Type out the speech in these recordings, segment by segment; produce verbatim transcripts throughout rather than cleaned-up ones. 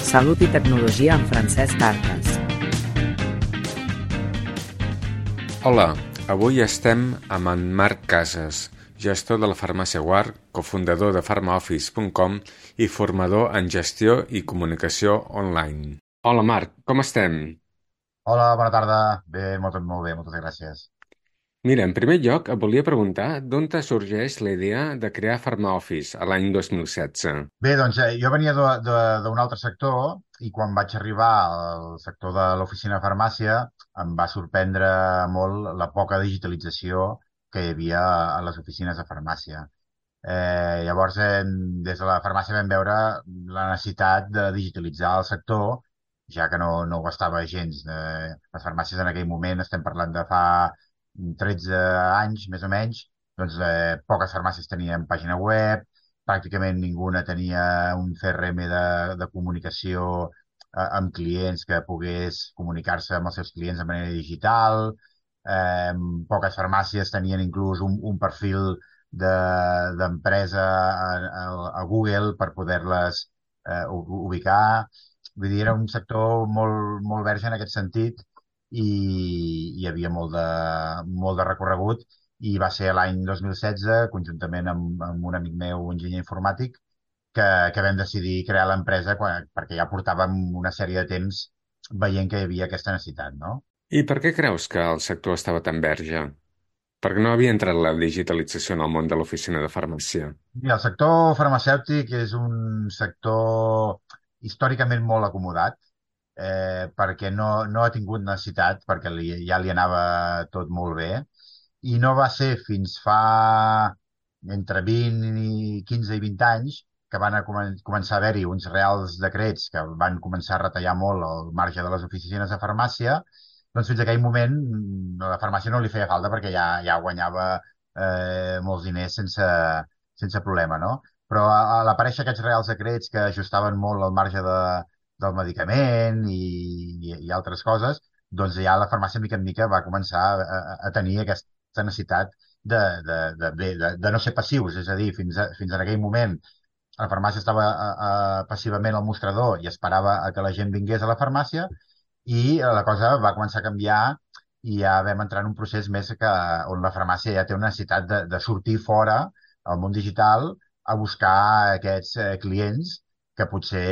Salut i tecnologia amb Francesc Arcas. Hola, avui estem amb en Marc Casas, gestor de la farmàcia Guard, cofundador de farmaoffice punt com i formador en gestió i comunicació online. Hola Marc, com estem? Hola, bona tarda. Bé, molt, molt bé, moltes gràcies. Mira, en primer lloc et volia preguntar d'on te sorgeix la idea de crear FarmaOffice a l'any dos mil setze? Bé, doncs eh, jo venia de- de- d'un altre sector i quan vaig arribar al sector de l'oficina de farmàcia em va sorprendre molt la poca digitalització que hi havia a les oficines de farmàcia. Eh, llavors, eh, des de la farmàcia vam veure la necessitat de digitalitzar el sector, ja que no, no ho estava gens. Eh, les farmàcies en aquell moment, estem parlant de fa tretze anys, més o menys, doncs eh, poques farmàcies tenien pàgina web, pràcticament ninguna tenia un C R M de, de comunicació eh, amb clients que pogués comunicar-se amb els seus clients de manera digital. Eh, Poques farmàcies tenien inclús un, un perfil de- d'empresa a, a, a Google per poder-les eh, u- ubicar. Vull dir, era un sector molt, molt verge en aquest sentit i hi havia molt de, molt de recorregut i va ser l'any dos mil setze, conjuntament amb, amb un amic meu, enginyer informàtic, que, que vam decidir crear l'empresa quan- perquè ja portàvem una sèrie de temps veient que hi havia aquesta necessitat, no? I per què creus que el sector estava tan verge? Perquè no havia entrat la digitalització en el món de l'oficina de farmàcia. Mira, el sector farmacèutic és un sector històricament molt acomodat, eh, perquè no, no ha tingut necessitat, perquè li, ja li anava tot molt bé, i no va ser fins fa entre vint i quinze i vint anys que van a comen començar a haver-hi uns reals decrets que van començar a retallar molt el marge de les oficines de farmàcia, doncs fins a aquell moment mm, a la farmàcia no li feia falta perquè ja, ja guanyava eh, molts diners sense, sense problema, no? Però a, a l'aparèixer aquests reals decrets que ajustaven molt el marge de, del medicament i, i, i altres coses, doncs ja la farmàcia, mica en mica, va començar a, a, a tenir aquesta necessitat de, de, de, de, de, de no ser passius. És a dir, fins, a, fins en aquell moment la farmàcia estava a, a, passivament al mostrador i esperava a que la gent vingués a la farmàcia i la cosa va començar a canviar i ja vam entrar en un procés més que, on la farmàcia ja té una necessitat de, de sortir fora al món digital a buscar aquests eh, clients que potser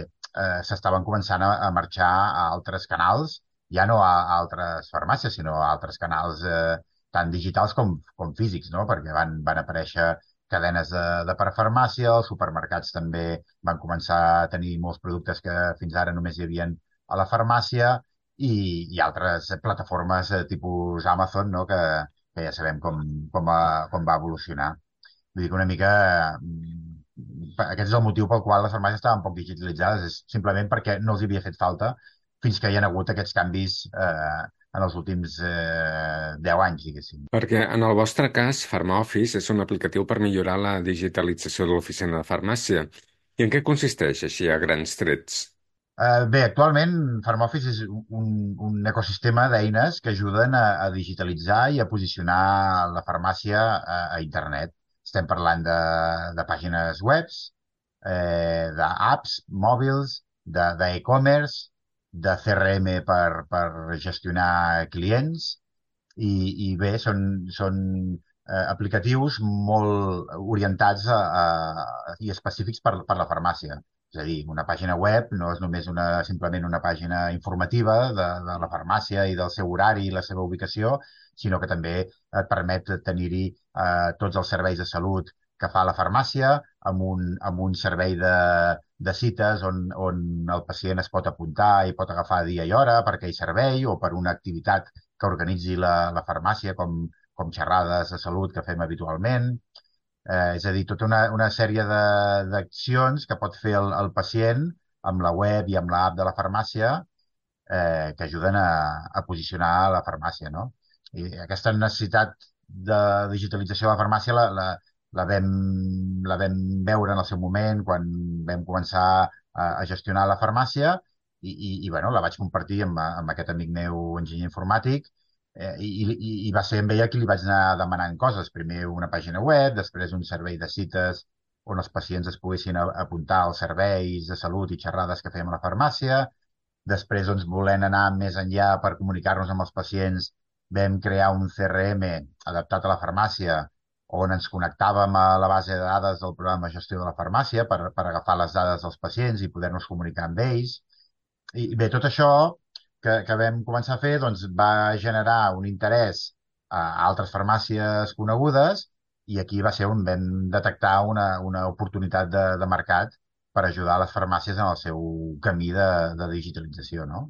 eh, s'estaven començant a, a marxar a altres canals, ja no a, a altres farmàcies, sinó a altres canals eh, tant digitals com, com físics, no? Perquè van, van aparèixer cadenes de, de parafarmàcia, els supermercats també van començar a tenir molts productes que fins ara només hi havien a la farmàcia i, i altres plataformes eh, tipus Amazon, no? que, que ja sabem com, com, va, com va evolucionar. Vull dir que una mica mm, aquest és el motiu pel qual les farmàcies estaven poc digitalitzades, és simplement perquè no els havia fet falta fins que hi ha hagut aquests canvis eh, en els últims eh, deu anys, diguéssim. Perquè en el vostre cas, FarmaOffice és un aplicatiu per millorar la digitalització de l'oficina de farmàcia. I en què consisteix, així, a grans trets? Eh, bé, actualment FarmOffice és un, un ecosistema d'eines que ajuden a, a digitalitzar i a posicionar la farmàcia a, a internet. Estem parlant de, de pàgines webs, eh, d'apps mòbils, de, d'e-commerce, de C R M per, per gestionar clients i, i bé, són, són eh, aplicatius molt orientats a, a, i específics per, per la farmàcia. És a dir, una pàgina web no és només una, simplement una pàgina informativa de, de la farmàcia i del seu horari i la seva ubicació, sinó que també et permet tenir-hi eh, tots els serveis de salut que fa la farmàcia, amb un, amb un servei de, de cites on, on el pacient es pot apuntar i pot agafar dia i hora per aquell servei o per una activitat que organitzi la, la farmàcia, com, com xerrades de salut que fem habitualment. Eh, és a dir, tota una, una sèrie de- d'accions que pot fer el, el pacient amb la web i amb l'app de la farmàcia eh, que ajuden a, a posicionar la farmàcia, no? I aquesta necessitat de digitalització de la farmàcia la, la, la vam, la vam veure en el seu moment quan vam començar a, a gestionar la farmàcia i, i, i bueno, la vaig compartir amb, amb aquest amic meu enginyer informàtic eh, i, i, i va ser amb ella qui li vaig anar demanant coses. Primer una pàgina web, després un servei de cites on els pacients es poguessin a- apuntar als serveis de salut i xerrades que fèiem a la farmàcia. Després, doncs, volent anar més enllà per comunicar-nos amb els pacients, vam crear un C R M adaptat a la farmàcia on ens connectàvem a la base de dades del programa de gestió de la farmàcia per, per agafar les dades dels pacients i poder-nos comunicar amb ells. I bé, tot això que, que vam començar a fer doncs, va generar un interès a altres farmàcies conegudes i aquí va ser on vam detectar una, una oportunitat de, de mercat per ajudar les farmàcies en el seu camí de, de digitalització, no?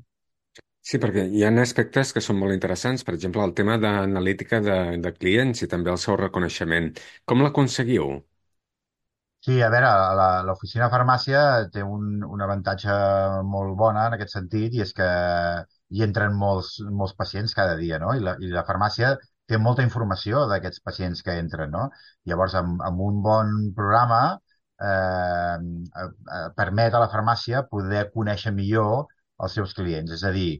Sí, perquè hi ha aspectes que són molt interessants, per exemple, el tema d'analítica de, de clients i també el seu reconeixement. Com l'aconseguiu? Sí, a veure, la- l'oficina de farmàcia té un, un avantatge molt bona en aquest sentit i és que hi entren molts, molts pacients cada dia, no? I la, i la farmàcia té molta informació d'aquests pacients que entren, no? Llavors, amb, amb un bon programa eh, eh, eh, permet a la farmàcia poder conèixer millor els seus clients, és a dir,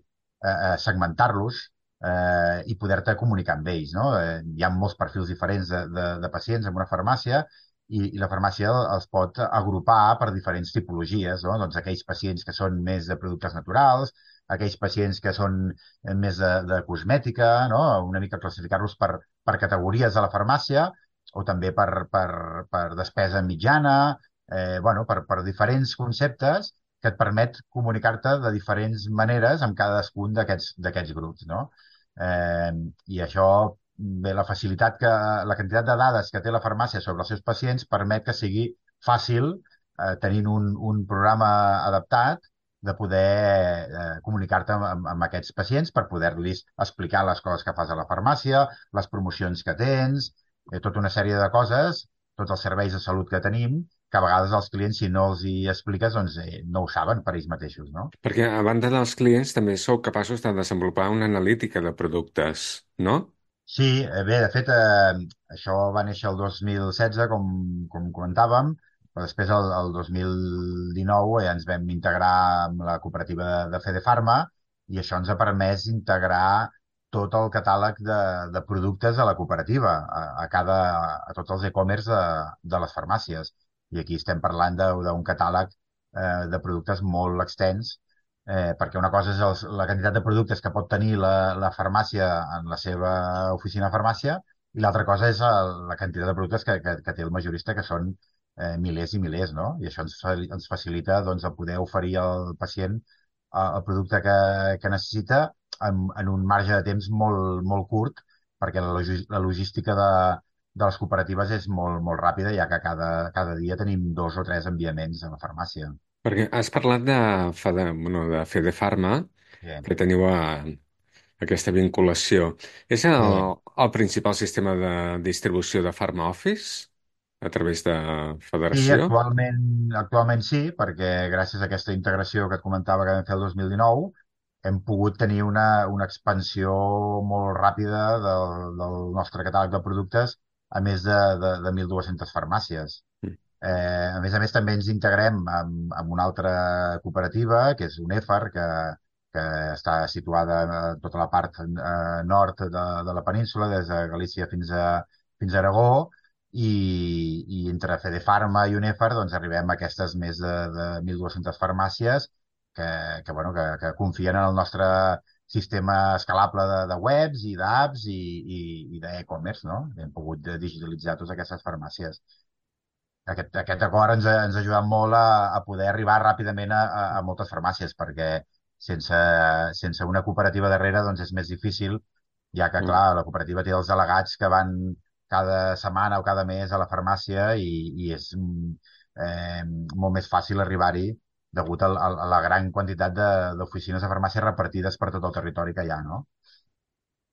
eh, eh, segmentar-los eh, i poder-te comunicar amb ells, no? Eh, hi ha molts perfils diferents de, de, de pacients en una farmàcia i, i la farmàcia els pot agrupar per diferents tipologies, no? Doncs aquells pacients que són més de productes naturals, aquells pacients que són eh, més de, de cosmètica, no? Una mica classificar-los per, per categories de la farmàcia o també per, per, per despesa mitjana, eh, bueno, per, per diferents conceptes que et permet comunicar-te de diferents maneres amb cadascun d'aquests d'aquests grups, no? Eh, I això bé, la facilitat que, la quantitat de dades que té la farmàcia sobre els seus pacients permet que sigui fàcil, eh, tenint un, un programa adaptat, de poder eh, comunicar-te amb, amb aquests pacients per poder-los explicar les coses que fas a la farmàcia, les promocions que tens, eh, tota una sèrie de coses, tots els serveis de salut que tenim, que a vegades els clients, si no els hi expliques, doncs eh, no ho saben per ells mateixos, no? Perquè a banda dels clients també sou capaços de desenvolupar una analítica de productes, no? Sí, eh, bé, de fet, eh, això va néixer el dos mil setze, com, com comentàvem, però després, el, el dos mil dinou, eh, ens vam integrar amb la cooperativa de, de Fedefarma i això ens ha permès integrar tot el catàleg de, de productes de la cooperativa a, a, cada, a tots els e-commerce de, de les farmàcies. I aquí estem parlant de- d'un catàleg eh, de productes molt extens eh, perquè una cosa és els, la quantitat de productes que pot tenir la, la farmàcia en la seva oficina de farmàcia i l'altra cosa és el, la quantitat de productes que, que, que té el majorista, que són eh, milers i milers, no? I això ens, fa- ens facilita doncs, el poder oferir al pacient eh, el producte que, que necessita en, en un marge de temps molt, molt curt, perquè la, logi- la logística de, de les cooperatives és molt, molt ràpida, ja que cada, cada dia tenim dos o tres enviaments a la farmàcia. Perquè has parlat de, Fede, bueno, de Fedefarma, Sí, que teniu a, aquesta vinculació. És el, sí. el principal sistema de distribució de Pharma Office a través de Sí, Federació? actualment, actualment sí, perquè gràcies a aquesta integració que et comentava que vam fer el dos mil dinou, hem pogut tenir una, una expansió molt ràpida del, del nostre catàleg de productes a més de, de, de mil dues-centes farmàcies. Mm. Eh, a més a més, també ens integrem amb, amb una altra cooperativa, que és UNEFAR, que, que està situada a tota la part eh, nord de, de la península, des de Galícia fins a, fins a Aragó, i, i entre Fedefarma i UNEFAR doncs, arribem a aquestes més de, de mil dues-centes farmàcies que, que, bueno, que, que confien en el nostre sistema escalable de, de webs i d'apps i, i, i d'e-commerce, no? Hem pogut digitalitzar totes aquestes farmàcies. Aquest, aquest acord ens ha, ens ha ajudat molt a, a poder arribar ràpidament a, a, a moltes farmàcies, perquè sense, sense una cooperativa darrere doncs és més difícil, ja que, Mm. clar, la cooperativa té els delegats que van cada setmana o cada mes a la farmàcia i, i és mm, eh, molt més fàcil arribar-hi degut a, a, a la gran quantitat de- d'oficines de farmàcia repartides per tot el territori que hi ha, no?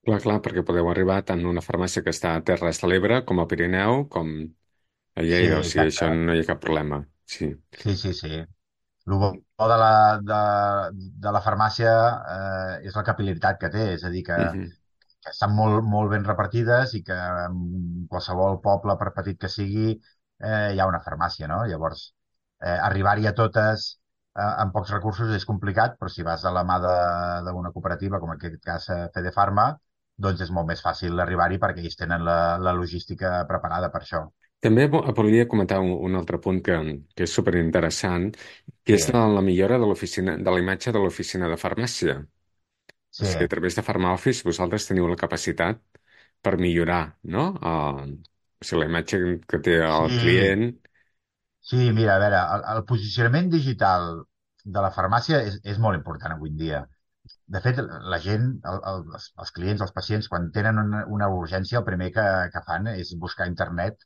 Clar, clar, perquè podeu arribar tant a una farmàcia que està a Terres de l'Ebre com a Pirineu, com a Sí, Lleida, o sigui, exacte. això no hi ha cap problema. Sí. Sí, sí, sí. El bo de la, de, de la farmàcia eh, és la capil·laritat que té, és a dir, que, Mhm. que estan molt, molt ben repartides i que en qualsevol poble, per petit que sigui, eh, hi ha una farmàcia, no? Llavors, eh, arribar-hi a totes eh, amb pocs recursos és complicat, però si vas a la mà de- d'una cooperativa, com en aquest cas eh, Fedefarma, doncs és molt més fàcil arribar-hi perquè ells tenen la, la logística preparada per això. També vo- volia comentar un, un altre punt que, que és superinteressant, que Sí, és la, la millora de l'oficina, de la imatge de l'oficina de farmàcia. O sí, sigui, a través de PharmaOffice vosaltres teniu la capacitat per millorar, no? El, o sigui, la imatge que té el sí. client. Sí, mira, a veure, el, el posicionament digital de la farmàcia és, és molt important avui en dia. De fet, la gent, el, el, els, els clients, els pacients, quan tenen una, una urgència, el primer que, que fan és buscar a internet,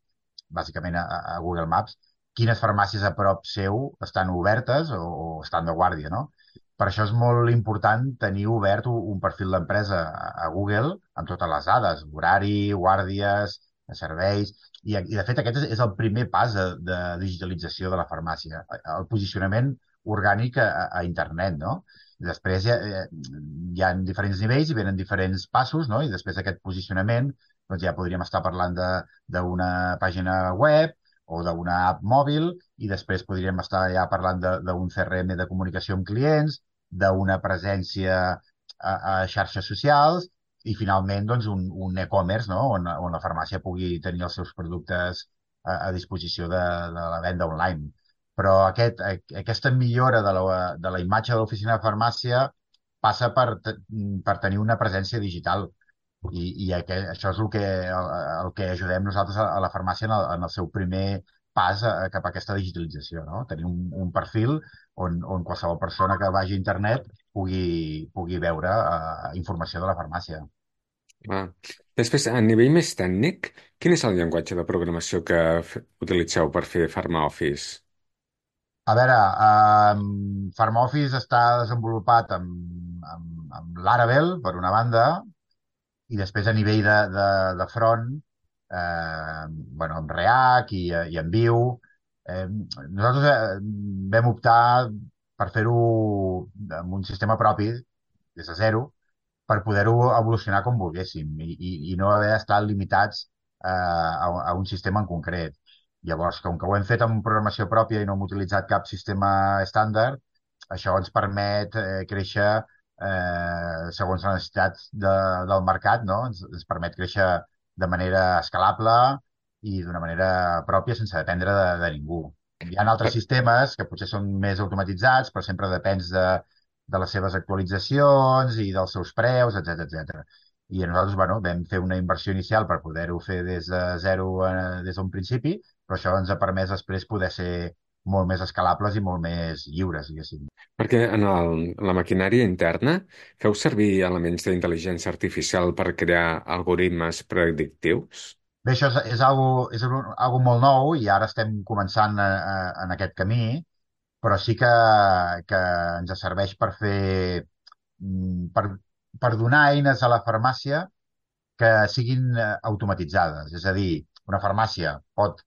bàsicament a, a Google Maps, quines farmàcies a prop seu estan obertes o, o estan de guàrdia, no? Per això és molt important tenir obert un, un perfil d'empresa a, a Google amb totes les dades, horari, guàrdies, serveis, i, i de fet aquest és, és el primer pas de, de digitalització de la farmàcia, el posicionament orgànic a, a internet, no? Després hi ha, eh, hi ha diferents nivells i venen diferents passos, no? I després d'aquest posicionament doncs ja podríem estar parlant de d'una pàgina web o d'una app mòbil i després podríem estar ja parlant de- d'un C R M de comunicació amb clients, d'una presència a, a xarxes socials i finalment doncs, un, un e-commerce, no? On, on la farmàcia pugui tenir els seus productes a, a disposició de, de la venda online. Però aquest, a- aquesta millora de la, de la imatge de l'oficina de farmàcia passa per, te- per tenir una presència digital. I, i aquest, això és el que, el, el que ajudem nosaltres a, a la farmàcia en el, en el seu primer pas a, cap a aquesta digitalització, no? Tenir un, un perfil on, on qualsevol persona que vagi a internet pugui, pugui veure uh, informació de la farmàcia. Ah. Després, a nivell més tècnic, quin és el llenguatge de programació que f- utilitzeu per fer PharmaOffice? A veure, um, PharmaOffice està desenvolupat amb, amb, amb Laravel, per una banda, i després a nivell de, de, de front, eh, bueno, amb React i, i amb Vue, eh, nosaltres eh, vam optar per fer-ho amb un sistema propi, des de zero, per poder-ho evolucionar com volguéssim i, i, i no haver d'estar limitats eh, a, a un sistema en concret. Llavors, com que ho hem fet amb programació pròpia i no hem utilitzat cap sistema estàndard, això ens permet eh, créixer eh, segons les necessitats de, del mercat, no? Ens, ens permet créixer de manera escalable i d'una manera pròpia sense dependre de, de ningú. Hi ha altres Per- sistemes que potser són més automatitzats, però sempre depens de, de les seves actualitzacions i dels seus preus, etc etcètera. I nosaltres, bueno, vam fer una inversió inicial per poder-ho fer des de zero, eh, des d'un principi, però això ens ha permès després poder ser molt més escalables i molt més lliures, diguéssim. Perquè en, el, en la maquinària interna feu servir elements d'intel·ligència artificial per crear algoritmes predictius? Bé, això és, és, algo, és un, algo molt nou i ara estem començant a, a, en aquest camí, però sí que, que ens serveix per fer, mm, per, per donar eines a la farmàcia que siguin eh, automatitzades. És a dir, una farmàcia pot,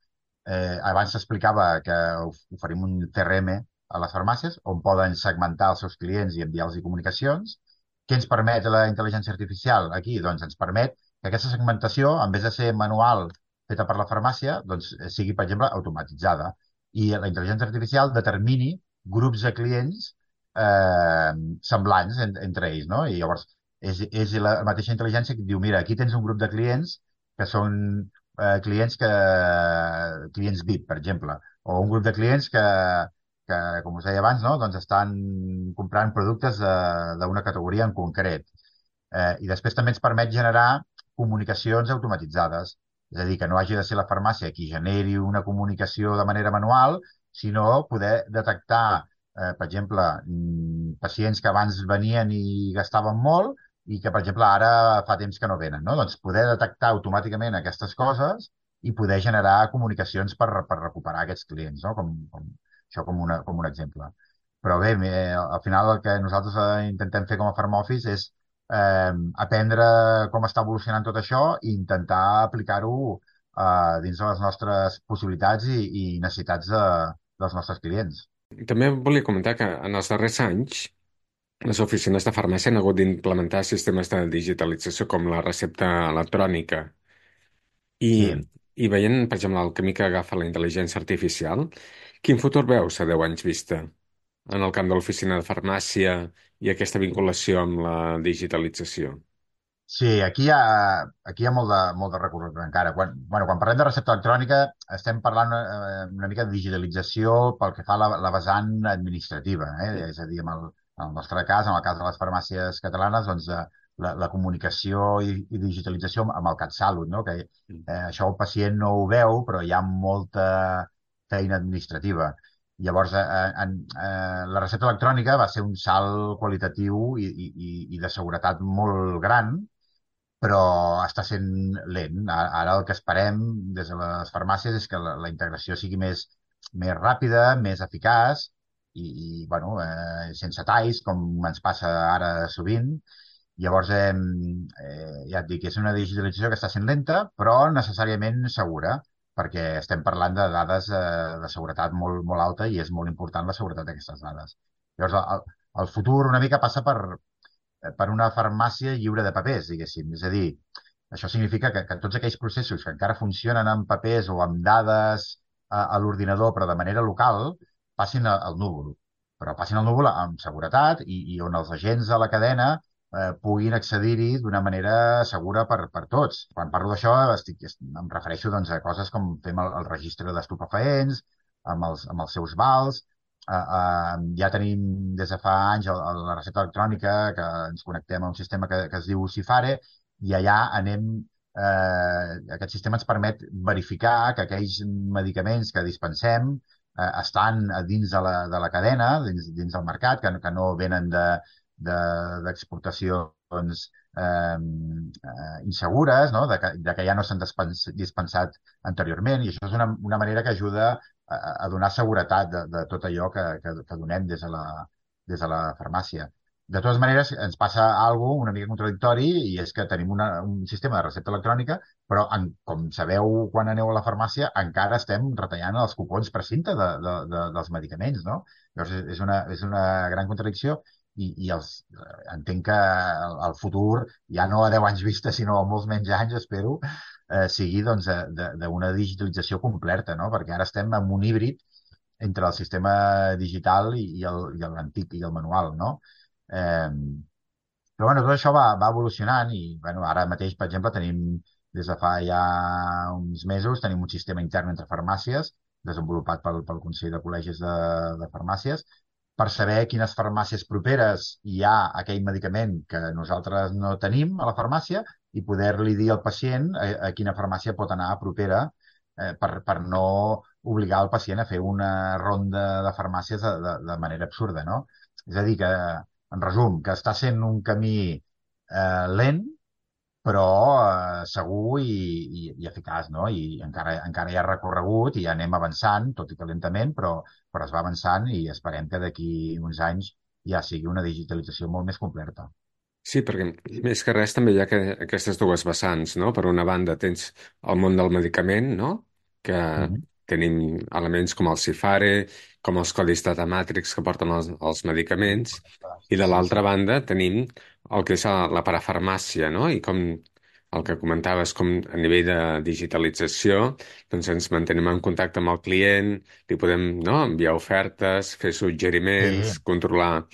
eh, abans s'explicava que of- oferim un C R M a les farmàcies on poden segmentar els seus clients i enviar-los comunicacions. Què ens permet la intel·ligència artificial aquí? Doncs ens permet que aquesta segmentació, en vez de ser manual feta per la farmàcia, doncs eh, sigui, per exemple, automatitzada. I la intel·ligència artificial determini grups de clients eh, semblants en, entre ells, no? I llavors és, és la mateixa intel·ligència que et diu, mira, aquí tens un grup de clients que són eh, clients que clients V I P, per exemple, o un grup de clients que, que com us deia abans, no? Doncs estan comprant productes de- d'una categoria en concret. Eh, I després també ens permet generar comunicacions automatitzades. És a dir, que no hagi de ser la farmàcia qui generi una comunicació de manera manual, sinó poder detectar, eh, per exemple, mm, pacients que abans venien i gastaven molt i que, per exemple, ara fa temps que no venen, no? Doncs poder detectar automàticament aquestes coses i poder generar comunicacions per, per recuperar aquests clients, no? Com, com, això com, una, com un exemple. Però bé, eh, al final el que nosaltres eh, intentem fer com a Farm Office és eh, aprendre com està evolucionant tot això i intentar aplicar-ho eh, dins de les nostres possibilitats i, i necessitats de, dels nostres clients. També volia comentar que en els darrers anys les oficines de farmàcia han hagut d'implementar sistemes de digitalització com la recepta electrònica i, Sí, i veient, per exemple, el camí que agafa la intel·ligència artificial, quin futur veus a deu anys vista en el camp de l'oficina de farmàcia i aquesta vinculació amb la digitalització? Sí, aquí hi ha, aquí hi ha molt de, molt de recorregut encara. Quan, bueno, quan parlem de recepta electrònica estem parlant eh, una mica de digitalització pel que fa a la, la vessant administrativa. Eh? És a dir, en el, en el nostre cas, en el cas de les farmàcies catalanes, doncs, eh, la, la comunicació i, i digitalització amb el CatSalut, no? Que Mm. eh, això el pacient no ho veu, però hi ha molta feina administrativa. Llavors, eh, eh, en, eh, la recepta electrònica va ser un salt qualitatiu i, i, i i de seguretat molt gran, però està sent lent. A- Ara el que esperem des de les farmàcies és que la, la integració sigui més, més ràpida, més eficaç i, i bueno, eh, sense talls, com ens passa ara sovint. Llavors, eh, eh, ja et dic, és una digitalització que està sent lenta, però necessàriament segura, perquè estem parlant de dades eh, de seguretat molt, molt alta i és molt important la seguretat d'aquestes dades. Llavors, el, el futur una mica passa per, eh, per una farmàcia lliure de papers, diguéssim. És a dir, això significa que, que tots aquells processos que encara funcionen amb papers o amb dades a, a l'ordinador, però de manera local, passin a- al núvol. Però passin al núvol amb seguretat i, i on els agents de la cadena eh, puguin accedir-hi d'una manera segura per, per tots. Quan parlo d'això, estic, est- em refereixo doncs, a coses com fem el, el registre d'estupefaents, amb els, amb els seus vals, Uh, uh, ja tenim des de fa anys el, el, la recepta electrònica que ens connectem a un sistema que, que es diu Cifare i allà anem, eh, aquest sistema ens permet verificar que aquells medicaments que dispensem eh, estan a dins de la, de la cadena, dins, dins del mercat, que, que no venen de, de, d'exportacions eh, eh, insegures, no? de, que, de que ja no s'han dispens, dispensat anteriorment, i això és una, una manera que ajuda a, a donar seguretat de, de tot allò que, que, que donem des de la, des de la farmàcia. De totes maneres, ens passa alguna una mica contradictori i és que tenim una, un sistema de recepta electrònica, però en, com sabeu quan aneu a la farmàcia, encara estem retallant els cupons per cinta de, de, de, dels medicaments, no? Llavors, és una, és una gran contradicció i, i els, eh, entenc que el, el futur, ja no a deu anys vista, sinó a molts menys anys, espero, eh, sigui doncs, de- de- d'una digitalització completa, no? Perquè ara estem en un híbrid entre el sistema digital i, i el, i l'antic i el manual, no? Eh, però bueno, tot això va, va evolucionant i bueno, ara mateix, per exemple, tenim des de fa ja uns mesos tenim un sistema intern entre farmàcies desenvolupat pel, pel Consell de Col·legis de, de Farmàcies per saber quines farmàcies properes hi ha aquell medicament que nosaltres no tenim a la farmàcia i poder-li dir al pacient a, a quina farmàcia pot anar propera eh, per, per no obligar el pacient a fer una ronda de farmàcies de, de, de manera absurda, no? És a dir, que, en resum, que està sent un camí eh, lent, però eh, segur i, i, i eficaç, no? I encara, encara hi ha recorregut i ja anem avançant, tot i que lentament, però, però es va avançant i esperem que d'aquí uns anys ja sigui una digitalització molt més completa. Sí, perquè més que res també hi ha que, aquestes dues vessants, no? Per una banda tens el món del medicament, no? Que Mhm. tenim elements com el Cifare, com els codis datamàtrics que porten els, els medicaments, i de Sí, l'altra sí. banda tenim el que és la, la parafarmàcia, no? I com el que comentaves, com a nivell de digitalització, doncs ens mantenim en contacte amb el client, li podem, no? Enviar ofertes, fer Sí, suggeriments, controlar...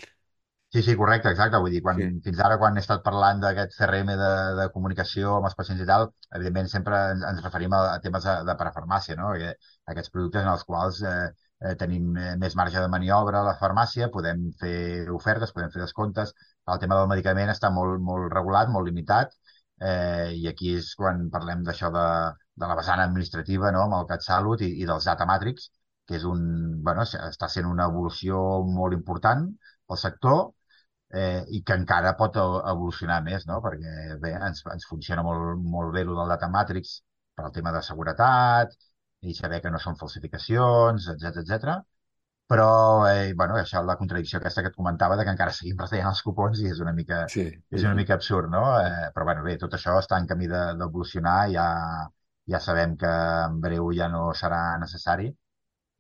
sí, sí, correcte, exacte. Vull dir, quan, Sí, fins ara, quan he estat parlant d'aquest C R M de, de comunicació amb els pacients i tal, evidentment sempre ens, ens referim a, a temes de, de parafarmàcia, no? Perquè aquests productes en els quals eh, eh, tenim eh, més marge de maniobra a la farmàcia, podem fer ofertes, podem fer descomptes. El tema del medicament està molt, molt regulat, molt limitat, eh, i aquí és quan parlem d'això de, de la vessant administrativa, no? Amb el CatSalut i, i dels Datamàtrics, que és un, bueno, està sent una evolució molt important pel sector eh, i que encara pot e- evolucionar més, no? Perquè bé, ens, ens funciona molt, molt bé el del Data Matrix per al tema de seguretat i saber que no són falsificacions, etc etcètera. Però, eh, bueno, això, la contradicció aquesta que et comentava de que encara seguim retallant els cupons i és una mica, sí. és una mica absurd, no? Eh, però, bueno, bé, tot això està en camí de- d'evolucionar, ja, ja sabem que en breu ja no serà necessari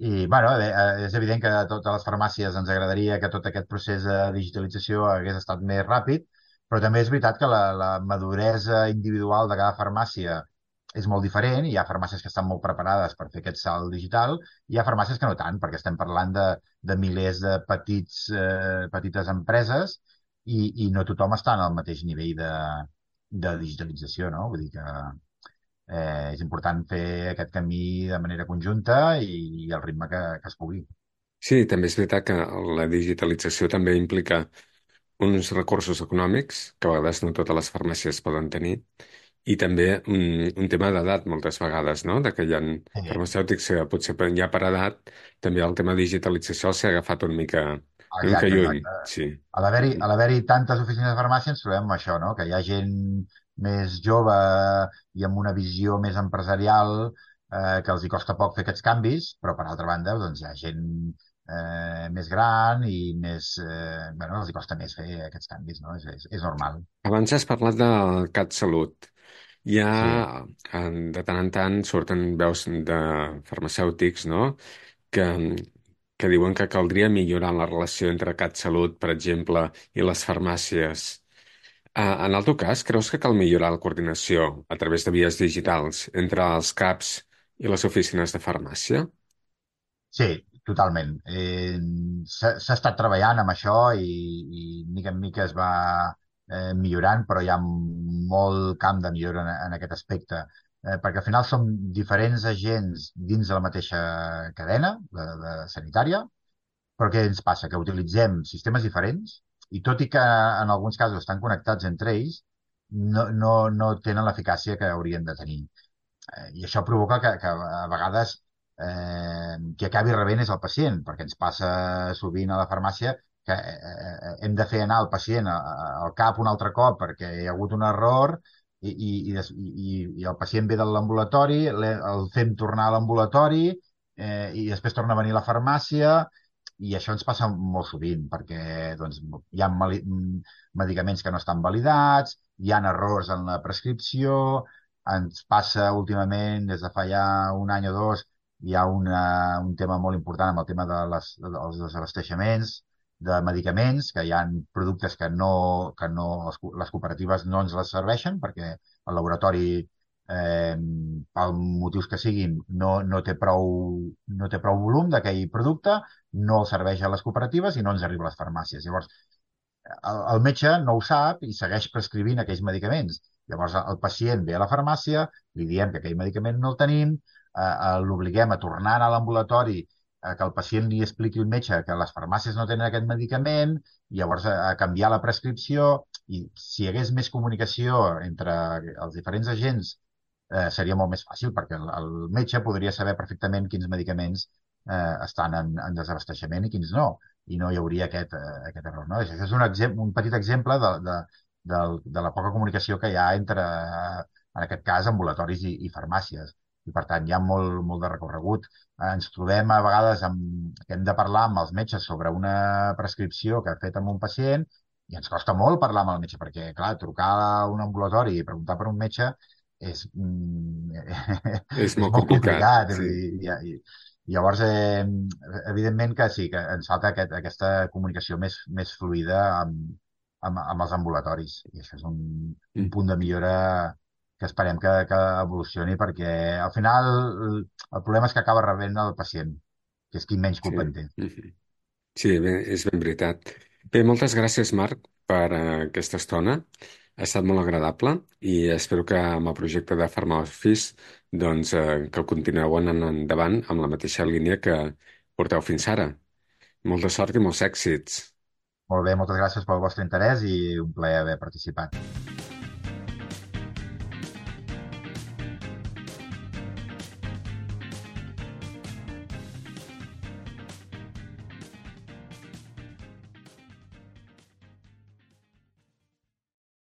i, bueno, bé, eh, és evident que a totes les farmàcies ens agradaria que tot aquest procés de digitalització hagués estat més ràpid, però també és veritat que la, la maduresa individual de cada farmàcia és molt diferent. Hi ha farmàcies que estan molt preparades per fer aquest salt digital i hi ha farmàcies que no tant, perquè estem parlant de, de milers de petits, eh, petites empreses i, i no tothom està en el mateix nivell de, de digitalització, no? Vull dir que eh, és important fer aquest camí de manera conjunta i, i al ritme que, que es pugui. Sí, també és veritat que la digitalització també implica uns recursos econòmics que a vegades no totes les farmàcies poden tenir i també un, un tema d'edat moltes vegades, no? De que hi ha Sí, farmacèutics que potser per- ja per edat també el tema de digitalització s'ha agafat una mica, una mica exacte, lluny, exacte. sí. A l'haver-hi a l'haver-hi tantes oficines de farmàcia ens trobem amb això, no? Que hi ha gent més jove i amb una visió més empresarial eh, que els hi costa poc fer aquests canvis, però per altra banda doncs, hi ha gent eh, més gran i més, eh, bueno, els hi costa més fer aquests canvis, no? És, és, és normal. Abans has parlat del CatSalut. Hi ha, Sí, en- de tant en tant, surten veus de farmacèutics, no?, que, que diuen que caldria millorar la relació entre CatSalut, per exemple, i les farmàcies. Ah, en el teu cas, creus que cal millorar la coordinació a través de vies digitals entre els CAPs i les oficines de farmàcia? sí, totalment. Eh, s'ha s'ha estat treballant amb això i, i mica en mica es va eh, millorant, però hi ha molt camp de millora en, en aquest aspecte. Eh, perquè al final som diferents agents dins de la mateixa cadena de, de sanitària, però què ens passa? Que utilitzem sistemes diferents i tot i que en alguns casos estan connectats entre ells, no, no, no tenen l'eficàcia que haurien de tenir. Eh, I això provoca que, que a vegades eh, qui acabi rebent és el pacient, perquè ens passa sovint a la farmàcia que eh, eh, hem de fer anar el pacient a- a- al cap un altre cop perquè hi ha hagut un error i, i, i, des- i, i el pacient ve de l'ambulatori, l'he- el fem tornar a l'ambulatori eh, i després torna a venir a la farmàcia i això ens passa molt sovint perquè doncs, hi ha mali- medicaments que no estan validats, hi ha errors en la prescripció, ens passa últimament, des de fa ja un any o dos, hi ha una, un tema molt important amb el tema de les, dels desabasteixements de medicaments, que hi ha productes que no, que no les, co- les cooperatives no ens les serveixen perquè el laboratori, eh, per motius que siguin, no, no té prou, no té prou volum d'aquell producte, no el serveix a les cooperatives i no ens arriba a les farmàcies. Llavors, el, el metge no ho sap i segueix prescrivint aquells medicaments. Llavors el pacient ve a la farmàcia, li diem que aquell medicament no el tenim, eh, eh, l'obliguem a tornar a l'ambulatori, eh, que el pacient li expliqui al metge que les farmàcies no tenen aquest medicament, i llavors a, a canviar la prescripció, i si hi hagués més comunicació entre els diferents agents, eh, seria molt més fàcil, perquè el, el metge podria saber perfectament quins medicaments eh, estan en, en desabasteixement i quins no i no hi hauria aquest, eh, aquest error. No? Això és un, exem un petit exemple de, de, de, de la poca comunicació que hi ha entre, eh, en aquest cas, ambulatoris i, i farmàcies. I, per tant, hi ha molt, molt de recorregut. Eh, ens trobem a vegades amb, que hem de parlar amb els metges sobre una prescripció que ha fet amb un pacient i ens costa molt parlar amb el metge, perquè, clar, trucar a un ambulatori i preguntar per un metge és, mm, És és molt molt complicat, complicat. sí. I, i, i llavors, eh, evidentment que sí, que ens falta aquest, aquesta comunicació més, més fluida amb, amb, amb els ambulatoris. I això és un, un Mm, punt de millora que esperem que, que evolucioni, perquè al final el, el problema és que acaba rebent el pacient, que és qui menys sí. culpa en té. Mhm. Sí, bé, és ben veritat. Bé, moltes gràcies, Marc, per eh, aquesta estona. Ha estat molt agradable i espero que amb el projecte de PharmaOffice doncs, eh, que el continueu anant endavant amb la mateixa línia que porteu fins ara. Molta sort i molts èxits. Molt bé, moltes gràcies pel vostre interès i un plaer haver participat.